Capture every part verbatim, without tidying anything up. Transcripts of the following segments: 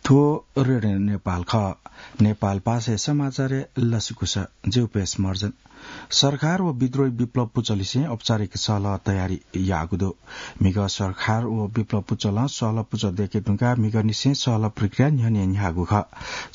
थ्व रेडियो नेपाल खः। नेपाल भाषाया समाचारय् लसकुस। ज्यू पेश मर्जन। सरकार व विद्रोही विप्लव पुचःलिसें औपचारिक सहलह तयारी याःगु दु। म्हिगः सरकार व विप्लव पुचलं सहलह पुचः दय्के धुंकाः म्हिगःनिसें सहलह प्रक्रिया न्ह्यःने न्ह्याःगु खः।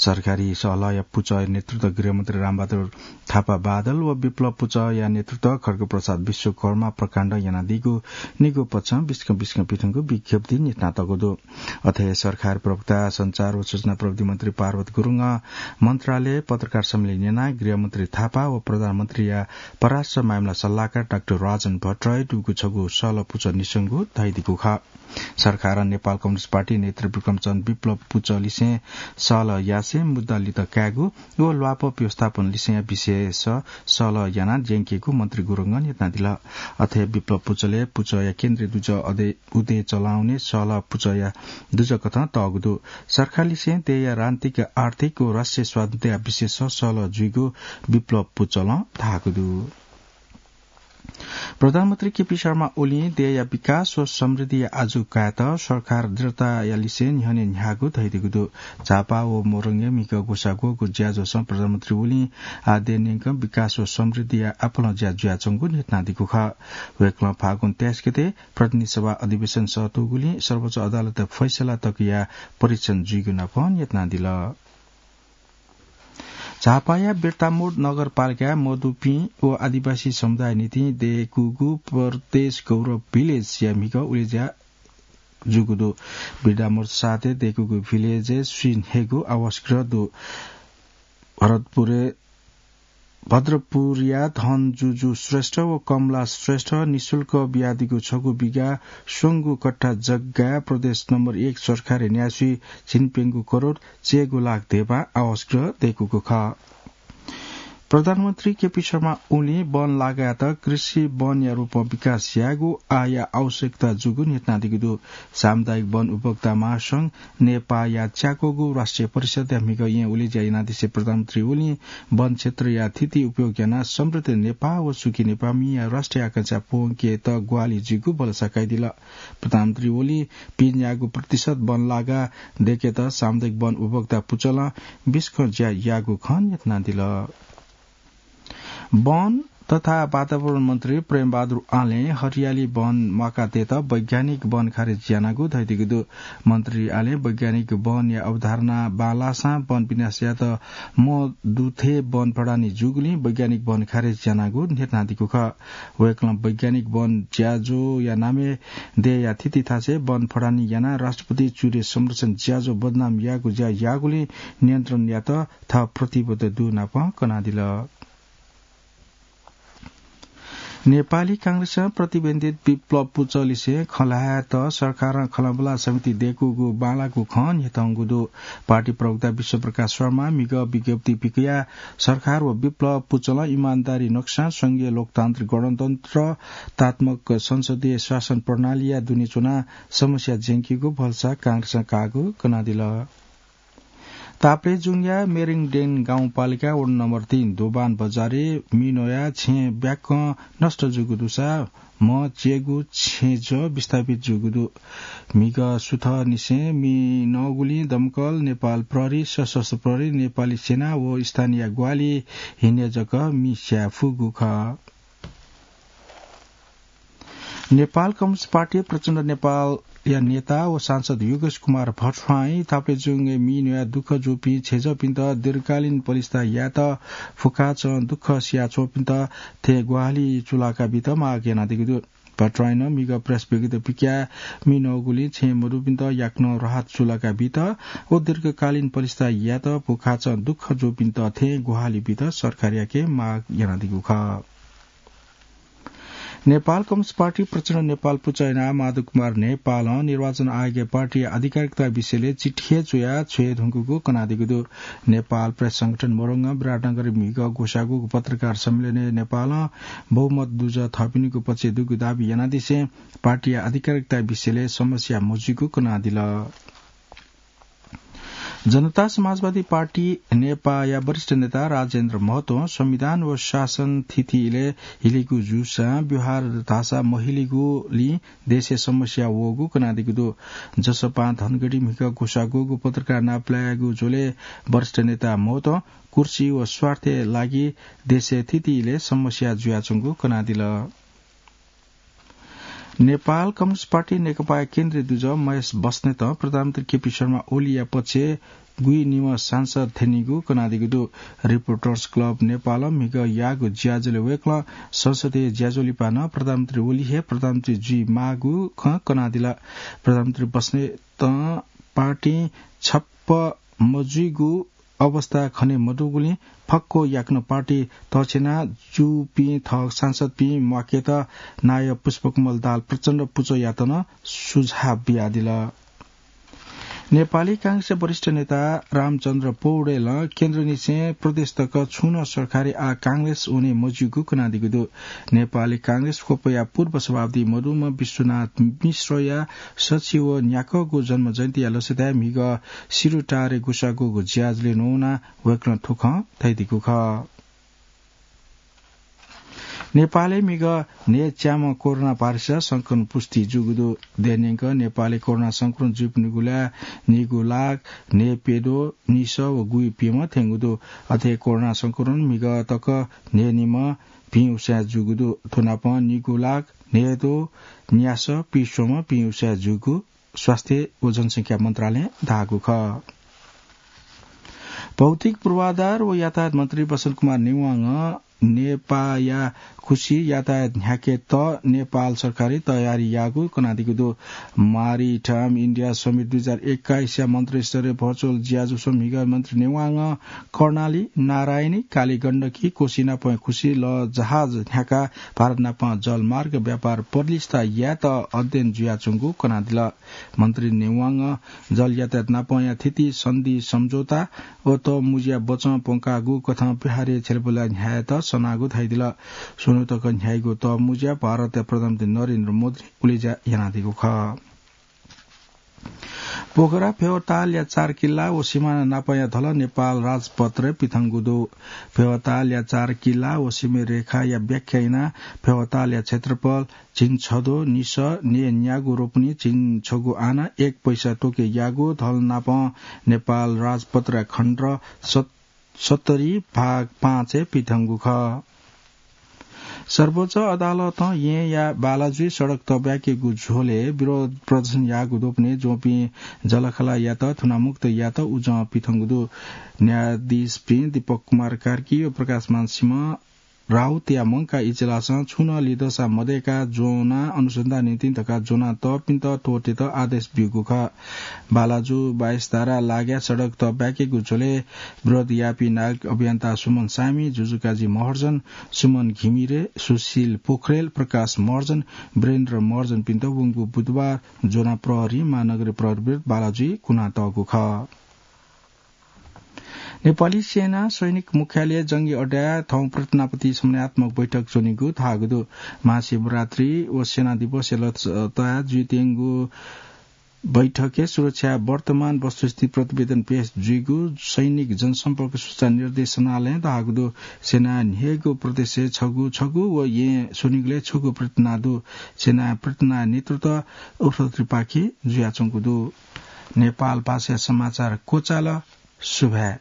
सरकारी सहलहया पुचःया नेतृत्व गृहमन्त्री रामबहादुर थापा बादल व विप्लव पुचःया नेतृत्व खड्गप्रसाद विश्वकर्मा प्रकाण्डं यानादीगु निगू पक्षं बिस्कं बिस्कं पिथंगु विज्ञप्ति न्ह्यथनातःगु दु। अथे सरकार प्रवक्ता, सञ्चार व सूचना प्रविधि मन्त्री पार्वत गुरुङं मन्त्रालय पत्रकार सम्मेलन यानाः गृहमन्त्री थापा व प्रधानमन्त्रीया परराष्ट्र मामिला सल्लाहकार डाक्टर राजन भट्टराई दुगु छगू सहलह पुचः निस्वंगु धयादीगु खः। सरकारं नेपाल कम्युनिस्ट पार्टी नेतृत्व विक्रमचन्द्र विप्लव पुचःलिसें सहलह यासें मुद्दा लित कायेगु व ल्वापः व्यवस्थापन लिसेंया विषयस सहलह यानाः ज्यंकेगु मन्त्री गुरुङं न्ह्यथनादिल। अथे विप्लव पुचलय् पुचःया केन्द्रीय दुजः अदे-, उदे चलाउने सहलह पुचःया दुजःकथं तःगु दु। सरकारलिसें देय्‌या राजनीतिक, आर्थिक व राष्ट्रिय स्वाधीनताया विषयस सहलह जुइगु विप्लव पुचलं धाःगु दु। प्रधानमन्त्री केपी शर्मा ओलीं देय्‌या विकास व समृद्धिया आजु कायेत सरकार दृढताया लिसें न्ह्यःने न्ह्याःगु धयादीगु दु। झापा व मोरङय् म्हिगः ग्वसाः ग्वःगु ज्याझ्वलय् प्रधानमन्त्री ओलीं आः देय् न्यंकं विकास व समृद्धिया आपालं ज्या जुयाच्वंगु न्ह्यथनादीगु खः। वय्‌कलं फागुन तेइस गते प्रतिनिधि सभा अधिवेशन सःतूगुलिं सर्वोच्च अदालतया फैसला तकया परीक्षण जुइगु नापं न्ह्यथनादिल। झापाया बिर्तामोड नगरपालिकाय् मदुपिं व आदिवासी समुदाय निंतिं दय्‌कूगु प्रदेश गौरव भिलेजया म्हिगः उलेज्या जूगु दु। बिर्तामोड सातय् दय्‌कूगु भिलेजय् स्वीन्हय्‌गू आवासगृह दु। भरतपुरय्, भद्रपुरया धनजुजु श्रेष्ठ व कमला श्रेष्ठ निशुल्क बियादीगु छगू बिघा स्वंगू कट्ठा जग्गाय् प्रदेश नम्बर एक सरकारया न्यासि झिंप्यंगू करोड चय्‌गू लाख धेबा आवासगृह दय्‌कूगु खः। प्रधानमन्त्री केपी शर्मा ओलीं वन लागायात कृषि वनया रूपं विकास यायेगु आःया आवश्यकता जूगु न्ह्यथनादीगु दु। सामुदायिक वन उपभोक्ता महासंघ नेपाःया च्याकूगु राष्ट्रिय परिषदया म्हिगः येँ उलेज्या यानादिसें प्रधानमन्त्री ओलीं वन क्षेत्रया थिति उपयोग यानाः समृद्ध नेपाः व सुखी नेपाःमिया राष्ट्रिय आकांक्षा प्वंकेत ग्वाहालि जुइगु भलसा कयादिल। प्रधानमन्त्री ओलीं पिज्याःगु प्रतिशत वन लागा दय्‌केत सामुदायिक वन उपभोक्ता पुचलं बिस्कं ज्या याःगु खँ न्ह्यथनादिल। वन तथा वातावरण मन्त्री प्रेमबहादुर आलें हरियाली वन म्वाकातयेत वैज्ञानिक वन खारेज यानागु धयादीगु दु। मन्त्री आलें वैज्ञानिक वनया अवधारणा बांलाःसां वन विनाश यायेत मदुथें वन फडानी जूगुलिं वैज्ञानिक वन खारेज यानागु न्ह्यथनादीगु खः। वय्‌कलं वैज्ञानिक वन ज्याझ्वःया नामय् देय्‌या थिति थासय् वन फडानी यानाः राष्ट्रपति चुरे संरक्षण ज्याझ्वः बदनाम याःगु ज्या याःगुलिं नियन्त्रण यायेत थः प्रतिबद्धता दुगु नापं कनादिल। नेपाली कांग्रेसं प्रतिबन्धित विप्लव पुचःलिसें खँ ल्हायेत सरकारं खँल्हाबल्हा समिति दय्‌कूगु बांलाःगु खँ न्ह्यथंगु दु। पार्टी प्रवक्ता विश्वप्रकाश शर्मां म्हिगः विज्ञप्ति पिकयाः सरकार व विप्लव पुचलं इमानदारी नक्सां संघीय लोकतान्त्रिक गणतन्त्रतात्मक संसदीय शासन प्रणालीया दुने च्वनाः समस्या ज्यंकीगु भलसा कांग्रेसं काःगु कनादिल। ताप्लेजुङया मेरिङडेन गाउँपालिका वडा नम्बर तीन दोबान बजारय् मिनोया छेँ ब्याक्कं नष्ट जूगु दुसा म्ह च्येगु छेँजः विस्थापित जूगु दु। म्हिगः सुथंनिसें मिनःगुलिं दमकल, नेपाल प्रहरी, सशस्त्र प्रहरी, नेपाली सेना व स्थानीय ग्वाहालि हिन्ने जक मि स्याये फुगु खः। नेपाल कम्युनिस्ट पार्टी प्रचण्ड नेपालया नेता व सांसद योगेश कुमार भट्टराईं ताप्लेजुङय् मिनोया दुःख जूपिं छेँजःपिन्त दीर्घकालीन पलिस्था यायेत फुक्काचं दुःख सियाच्वंपिन्त थें ग्वाहालि चूलाका बीत माग यानादीगु दु। भट्टराईं म्हिगः प्रेस विज्ञप्ति पिकयाः मिनःगुलिं छेँ मदुपिन्त याकनं राहत चूलाका बीत व दीर्घकालीन पलिस्था यायेत फुक्काचं दुःख जूपिन्त थें ग्वाहालि बीत सरकारयाके माग यानादीगु खः। नेपाल कम्युनिस्ट पार्टी प्रचण्ड नेपाल पुचः यानाः माधव कुमार नेपालं निर्वाचन आयोगया पार्टीया आधिकारिकता विषयलय् चिठी हे च्वयाः छ्वये धुंकूगु कनादीगु दु। नेपाल प्रेस संगठन मोरङं विराटनगरय् म्हिगः ग्वसाःगु पत्रकार सम्मेलनय् नेपालं बहुमत दुजः थःपिनिगु पक्षय् दुगु दाबी यानादिसें पार्टीया आधिकारिकता विषयलय् समस्या मजुइगु कनादिल। जनता समाजवादी पार्टी नेपाःया वरिष्ठ नेता राजेन्द्र महतों संविधान व शासन थिति इलय् हिलिगु जूसां व्यवहार धाःसा महिलिगुलिं देशय् समस्या वःगु कनादीगु दु। जसपां धनगढी म्हिगः ग्वसाः ग्वःगु पत्रकार नापलायेगु झ्वलय् वरिष्ठ नेता महतों कुर्सी व स्वार्थय् लागि देशय् थिति इलय् समस्या जुयाच्वंगु कनादिल। नेपाल कम्युनिस्ट पार्टी नेकपाया केन्द्रीय दुजः महेश बस्नेतं प्रधानमन्त्री केपी शर्मा ओलीया पक्षय् गुइनिम्ह सांसद थ्यनीगु कनादीगु दु। रिपोर्टर्स क्लब नेपालं म्हिगः याःगु ज्याझ्वलय् वय्कलं संसदीय ज्याझ्वः लिपा नं प्रधानमन्त्री ओली हे प्रधानमन्त्री जुइ माःगु खँ कनादिल। प्रधानमन्त्री बस्नेतं पार्टीं छप्पँ मजुइगु अवस्था खने मदुगुलिं फक्व याकनं पार्टी तछ्यना जूपिं थः सांसदपिं म्वाकेत नायः पुष्पकमल दाहाल प्रचण्ड पुचःयात नं सुझाव बियादिल। नेपाली कांग्रेसया वरिष्ठ नेता रामचन्द्र पौडेलं केन्द्रनिसें प्रदेश तक छुं नं सरकारी आः कांग्रेस वने मज्यूगु कनादीगु दु। नेपाली कांग्रेस क्वपया पूर्व सभापति मदुम्ह विश्वनाथ मिश्रया सछि व न्याकःगु जन्म जयन्तीया लसताय् म्हिगः सिरुटारे ग्वसाः ग्वःगु ज्याझ्वलय् न्ववानाः वय्कलं थ्व खँ धयादीगु खः। नेपालय् म्हिगः न्हय्च्याम्ह कोरोना भाइरसया संक्रमण पुष्टि जूगु दु। देय् न्यंक नेपालय् कोरोना संक्रमण जूपिनिगु ल्हाः नीगू लाख न्हय्प्यद्वः निसः व गुइप्यम्ह थ्यंगु दु। अथे कोरोना संक्रमण म्हिगः तक न्हय्निम्ह भिं उसाँय् जूगु दु। थ्व नापं नीगू लाख न्हय्द्वः न्यासः पिस्वम्ह भिं उसाँय् जूगु स्वास्थ्य व जनसंख्या मन्त्रालयं धाःगु खः। भौतिक पूर्वाधार व यातायात मन्त्री बसन्त कुमार नेवांगं नेपाःया खुसी यातायात न्ह्याकेत नेपाल सरकारं तयारी याःगु कनादीगु दु। Maritime India Summit दुई हजार एक्काइसया मन्त्रीस्तरीय भर्चुअल ज्याझ्वलय् म्हिगः मन्त्री नेवांगं कर्णाली, नारायणी, कालीगण्डकी, कोशी नापं खुसी लःजहाज न्ह्याकाः भारत नापं जलमार्ग व्यापार बलिष्ठ यायेत अध्ययन जुयाच्वंगु कनादिल। मन्त्री नेवांगं जल यातायात नापंया थिति सन्धि सम्झौता व तःमुँज्या बचं प्वंकागु कथं व्यवहारय् छ्यलाबुला न्ह्यायेत सनागु धयादिल। स्वन्हु तक न्ह्याइगु तःमुँज्या भारतया प्रधानमन्त्री नरेन्द्र मोदीं उलेज्या यानादीगु खः। पोखरा फेवातालया चार किल्ला व सिमाना नापंया धलः नेपाल राजपत्रय् पिथंगु दु। फेवातालया चार किल्ला व सीमारेखाया व्याख्या यानाः फेवातालया क्षेत्रफल झिंछद्वः निसः न्यय्न्यागू रोपनी झिंछगू आना एक पैसा तोके याःगु धलः नापं नेपाल राजपत्रया खण्ड सत-, सत्तरी भाग पाँचय् पिथंगु खः। सर्वोच्च अदालतं येँया बालाजुइ सडक तब्याकेगु झ्वलय् विरोध प्रदर्शन याःगु द्वपनय् ज्वंपिं जलखालायात थुनामुक्त यायेत उजं पिथंगु दु। न्यायाधीशपिं दीपक कुमार कार्की व प्रकाशमान सिंह राउतया मंकाः इजलासं छुं नं लिधंसा मदय्काः ज्वनाः अनुसन्धान निंतिं धकाः ज्वनातःपिन्त त्वःतेत आदेश ब्यूगु खः। बालाजु बाइस धारा लागाय् सडक तब्याकेगु झ्वलय् विरोध याःपिं नागरिक अभियन्ता सुमन सामी, जुजुकाजी महर्जन, सुमन घिमिरे, सुशील पोखरेल, प्रकाश महर्जन, वीरेन्द्र महर्जनपिन्त वंगु बुधबार ज्वनाः प्रहरीं महानगरीय प्रहरी विरुद्ध बालाजुइ कुनातःगु खः। नेपाली सेना सैनिक मुख्यालय जंगी अड्डाय् थौं प्रार्थनापति समन्वयात्मक बैठक च्वनीगु धाःगु दु। महाशिवरात्रि व सेना दिवसया लसताय् जुइत्यंगु बैठकय् सुरक्षाया वर्तमान वस्तुस्थिति प्रतिवेदन पेश जुइगु सैनिक जनसम्पर्क सूचना निर्देशनालयं धाःगु दु। सेनाय् न्हय्गू प्रदेशय् छगू छगू व येँ स्वनिगलय् छगू प्रार्थना दु। सेनाय् प्रार्थनाया नेतृत्व उपसभापतिपाखें जुयाच्वंगु दु। नेपाल भाषाया समाचार क्वचाल। सुभाय्।